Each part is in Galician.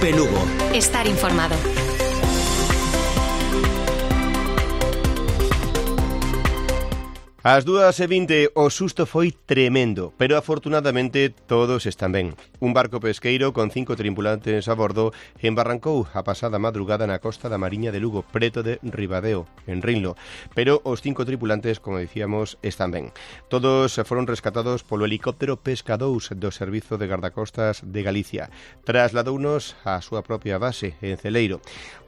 Cope Lugo. Estar informado. Ás 2:20 o susto foi tremendo, pero afortunadamente todos están ben. Un barco pesqueiro con 5 tripulantes a bordo embarrancou a pasada madrugada na costa da Mariña de Lugo, preto de Ribadeo, en Rinlo. Pero os 5 tripulantes, como dicíamos, están ben. Todos foron rescatados polo helicóptero Pesca 2 do Servizo de Gardacostas de Galicia. Trasladounos á súa propia base, en Celeiro.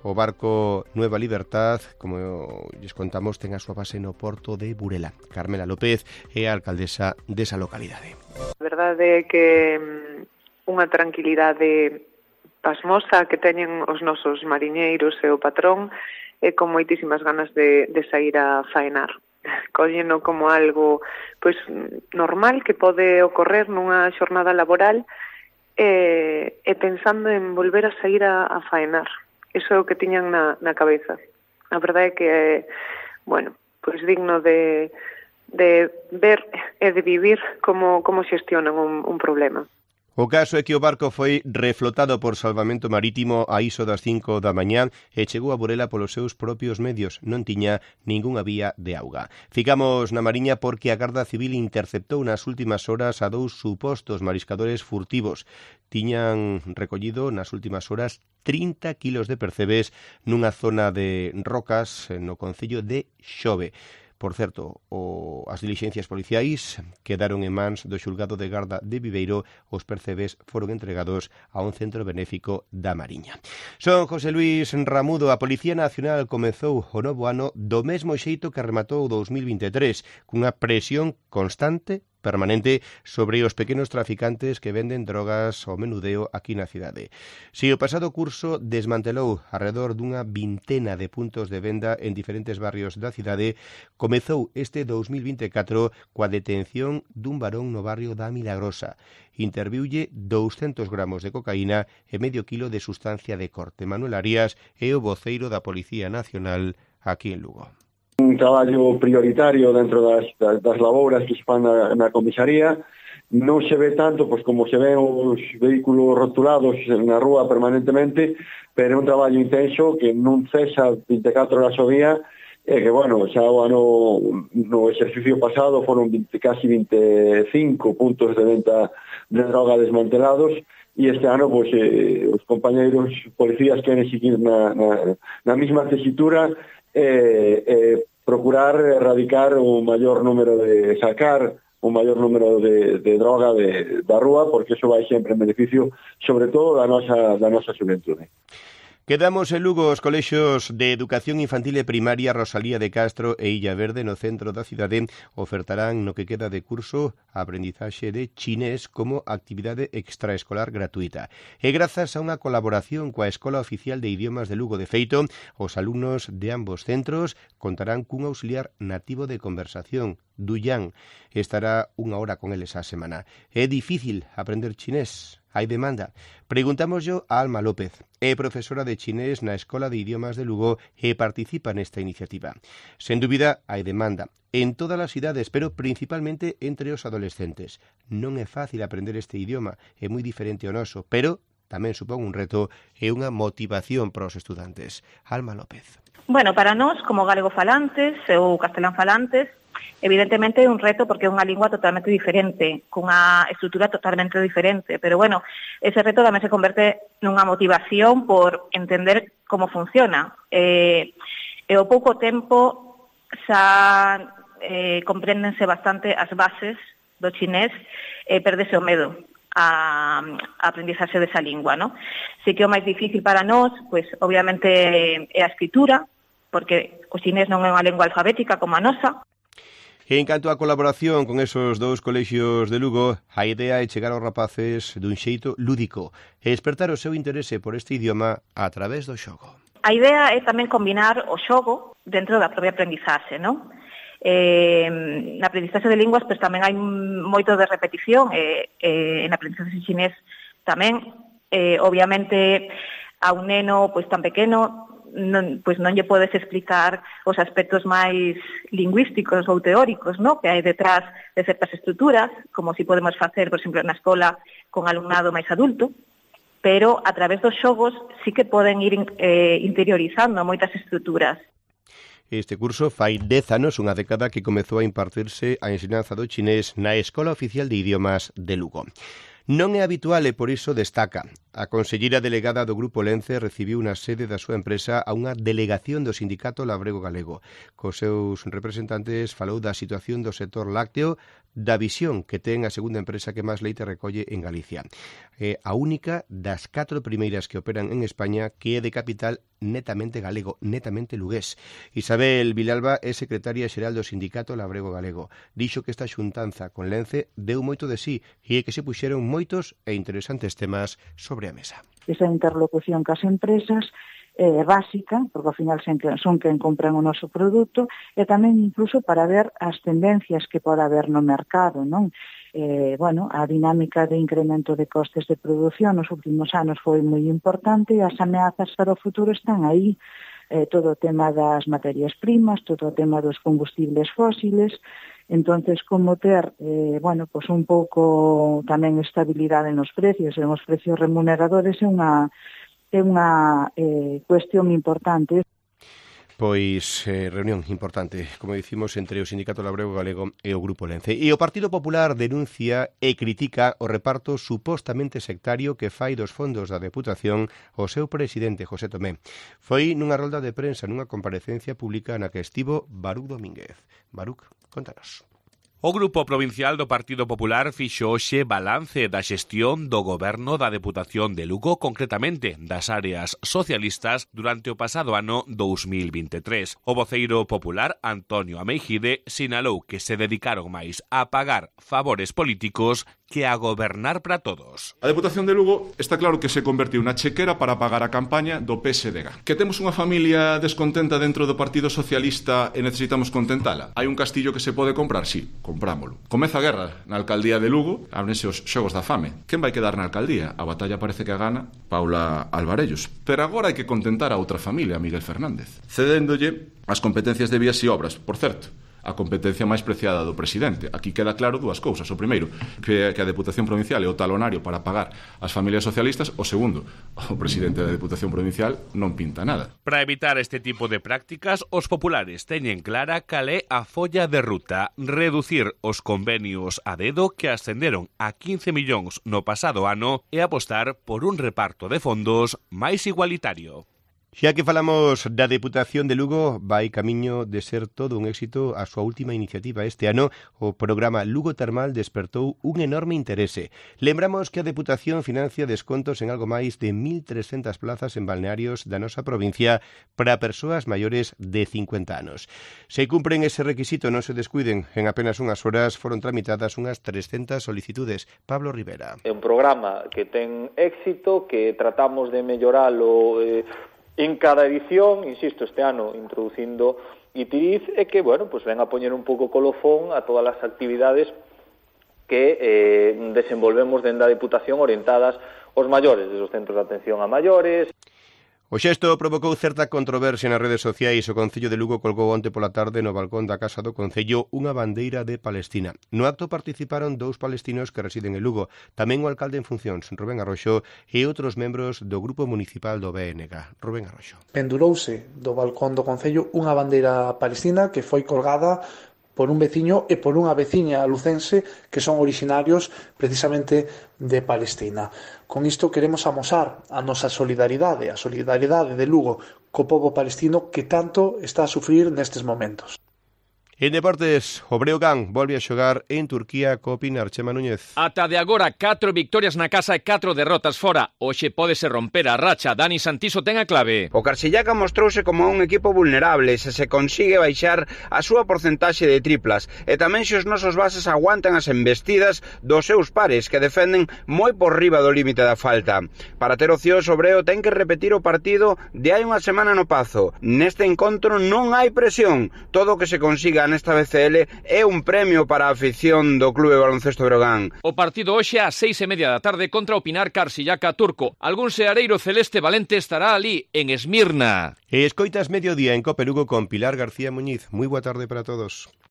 O barco Nueva Libertad, como lles contamos, ten a súa base no porto de Burela. Carmela López é a alcaldesa desa localidade. A verdade é que unha tranquilidade pasmosa que teñen os nosos mariñeiros e o patrón e con moitísimas ganas de sair a faenar. Colleno como algo pois normal que pode ocorrer nunha xornada laboral e pensando en volver a sair a faenar. Iso é o que tiñan na cabeza. A verdade é que é, bueno, pois digno de ver e de vivir como xestionan un problema. O caso é que o barco foi reflotado por Salvamento Marítimo a iso das 5 da mañá e chegou a Burela polos seus propios medios. Non tiña ningunha vía de auga. Ficamos na Mariña porque a Garda Civil interceptou nas últimas horas a 2 supostos mariscadores furtivos. Tiñan recollido nas últimas horas 30 kilos de percebes nunha zona de rocas no concello de Xove. Por certo, as dilixencias policiais quedaron en mans do xulgado de Garda de Viveiro. Os percebes foron entregados a un centro benéfico da Mariña. Son José Luis Ramudo. A Policía Nacional comezou o novo ano do mesmo xeito que rematou o 2023, cunha presión constante permanente sobre os pequenos traficantes que venden drogas ao menudeo aquí na cidade. Si o pasado curso desmantelou alrededor dunha vintena de puntos de venda en diferentes barrios da cidade, comezou este 2024 coa detención dun varón no barrio da Milagrosa. Interviulle 200 gramos de cocaína e medio kilo de sustancia de corte. Manuel Arias é o voceiro da Policía Nacional aquí en Lugo. Un traballo prioritario dentro das labouras que se fan na comisaría. Non se ve tanto pois como se ven os vehículos rotulados na rúa permanentemente, pero é un traballo intenso que non cesa 24 horas ao día e que, bueno, xa o ano no exercicio pasado foron casi 25 puntos de venta de droga desmantelados e este ano pois, os compañeiros policías queren seguir na mesma tesitura procurar erradicar o maior número de sacar o maior número de droga da rúa, porque iso vai sempre en beneficio sobre todo da nosa xuventude. Quedamos en Lugo. Os colexios de Educación Infantil e Primaria Rosalía de Castro e Illa Verde no centro da cidade ofertarán no que queda de curso a aprendizaxe de chinés como actividade extraescolar gratuita. E grazas a unha colaboración coa Escola Oficial de Idiomas de Lugo. De feito, os alumnos de ambos centros contarán cun auxiliar nativo de conversación, Duyan. Estará unha hora con eles á semana. É difícil aprender chinés? Hai demanda? Preguntámoslo a Alma López. É profesora de chinés na Escola de Idiomas de Lugo e participa nesta iniciativa. Sen dúbida, hai demanda en todas as idades, pero principalmente entre os adolescentes. Non é fácil aprender este idioma, é moi diferente ao noso, pero tamén supón un reto e unha motivación para os estudantes. Alma López. Bueno, para nós, como galego falantes ou castelán falantes, evidentemente é un reto porque é unha lingua totalmente diferente, cunha estrutura totalmente diferente, pero bueno, ese reto tamén se converte nunha motivación por entender como funciona. E ao pouco tempo xa compréndense bastante as bases do chinés e perdese o medo a aprendizaxe desa lingua, ¿no? Si que o máis difícil para nós, pois obviamente é a escritura, porque o chinés non é unha lingua alfabética como a nosa. En canto á colaboración con esos 2 colexios de Lugo, a idea é chegar aos rapaces dun xeito lúdico e despertar o seu interese por este idioma a través do xogo. A idea é tamén combinar o xogo dentro da propia aprendizaxe, non? Na aprendizaxe de linguas pois tamén hai moito de repetición e na aprendizaxe chinés tamén. Obviamente a un neno pois tan pequeno non lle podes explicar os aspectos máis lingüísticos ou teóricos, ¿no?, que hai detrás de certas estruturas, como si podemos facer, por exemplo, na escola con alumnado máis adulto. pero a través dos xogos sí que poden ir interiorizando moitas estruturas. Este curso fai 10 anos, unha década que comezou a impartirse a ensinanza do chinés na Escola Oficial de Idiomas de Lugo. Non é habitual e por iso destaca. A conselleira delegada do Grupo Lence recibiu na sede da súa empresa a unha delegación do Sindicato Labrego Galego. Cos seus representantes falou da situación do sector lácteo, da visión que ten a segunda empresa que máis leite recolle en Galicia. É a única das 4 primeiras que operan en España que é de capital netamente galego, netamente lugués. Isabel Vilalba é secretaria xeral do Sindicato Labrego Galego. Dixo que esta xuntanza con Lence deu moito de sí e que se puxeron moitos e interesantes temas sobre a mesa. Esa interlocución cas empresas é básica, porque ao final son quen compran o noso produto, e tamén incluso para ver as tendencias que pode haber no mercado, non? A dinámica de incremento de costes de produción nos últimos anos foi moi importante e as ameazas para o futuro están aí. Todo o tema das materias primas, todo o tema dos combustibles fósiles. Entonces, como ter, un pouco tamén estabilidade nos precios, en os precios remuneradores é unha cuestión importante. Pois reunión importante, como dicimos, entre o Sindicato Labrego Galego e o Grupo Lence. E o Partido Popular denuncia e critica o reparto supostamente sectario que fai dos fondos da Deputación o seu presidente, José Tomé. Foi nunha rolda de prensa, nunha comparecencia pública na que estivo Baruc Domínguez. Baruc, contanos. O Grupo Provincial do Partido Popular fixo hoxe balance da xestión do goberno da Deputación de Lugo, concretamente das áreas socialistas, durante o pasado ano 2023. O voceiro popular, Antonio Ameijide, sinalou que se dedicaron máis a pagar favores políticos que a gobernar para todos. A Deputación de Lugo está claro que se convertiu na chequera para pagar a campaña do PSDG. Que temos unha familia descontenta dentro do Partido Socialista e necesitamos contentala. Hai un castillo que se pode comprar? Sí, comprámolo. Comeza a guerra na alcaldía de Lugo, ábrense os xogos da fame. Quen vai quedar na alcaldía? A batalla parece que a gana Paula Alvarellos. Pero agora hai que contentar a outra familia, Miguel Fernández, cedéndolle as competencias de vías e obras. Por certo, a competencia máis preciada do presidente. Aquí queda claro dúas cousas. O primeiro, que a Deputación Provincial é o talonario para pagar as familias socialistas. O segundo, o presidente da Deputación Provincial non pinta nada. Para evitar este tipo de prácticas, os populares teñen clara cal é a folla de ruta: reducir os convenios a dedo que ascenderon a 15 millóns no pasado ano e apostar por un reparto de fondos máis igualitario. Xa que falamos da Deputación de Lugo, vai camiño de ser todo un éxito a súa última iniciativa. Este ano, o programa Lugo Termal despertou un enorme interese. Lembramos que a Deputación financia descontos en algo máis de 1.300 plazas en balnearios da nosa provincia para persoas maiores de 50 anos. Se cumpren ese requisito, non se descuiden, en apenas unhas horas foron tramitadas unhas 300 solicitudes. Pablo Rivera. É un programa que ten éxito, que tratamos de melloralo en cada edición, insisto, este ano introducindo Itiriz, e que, ven a poñer un pouco colofón a todas as actividades que desenvolvemos dentro da Deputación orientadas aos maiores, desde os centros de atención a maiores. O xesto provocou certa controversia nas redes sociais. O Concello de Lugo colgou onte pola tarde no balcón da Casa do Concello unha bandeira de Palestina. No acto participaron 2 palestinos que residen en Lugo, tamén o alcalde en funcións, Rubén Arroxo, e outros membros do Grupo Municipal do BNG. Rubén Arroxo. Pendurouse do balcón do Concello unha bandeira palestina que foi colgada por un veciño e por unha veciña lucense que son orixinarios precisamente de Palestina. Con isto queremos amosar a nosa solidaridade, a solidaridade de Lugo co pobo palestino que tanto está a sufrir nestes momentos. En deportes, o Breogán volve a xogar en Turquía co Pinar. Chema Núñez. Ata de agora 4 victorias na casa e 4 derrotas fora. Hoxe pódese romper a racha. Dani Santiso ten a clave. O Carsillaca mostrouse como un equipo vulnerable se consigue baixar a súa porcentaxe de triplas e tamén se os nosos bases aguantan as embestidas dos seus pares que defenden moi por riba do límite da falta. Para ter opcións, o Breo ten que repetir o partido de hai unha semana no Pazo. Neste encontro non hai presión. Todo o que se consiga nesta BCL é un premio para a afición do Clube Baloncesto Breogán. O partido hoxe ás 6:30 da tarde contra o Pinar Carsillaca turco. Algún seareiro celeste valente estará ali, en Esmirna. E escoitas Mediodía en Cope Lugo con Pilar García Muñiz. Moi boa tarde para todos.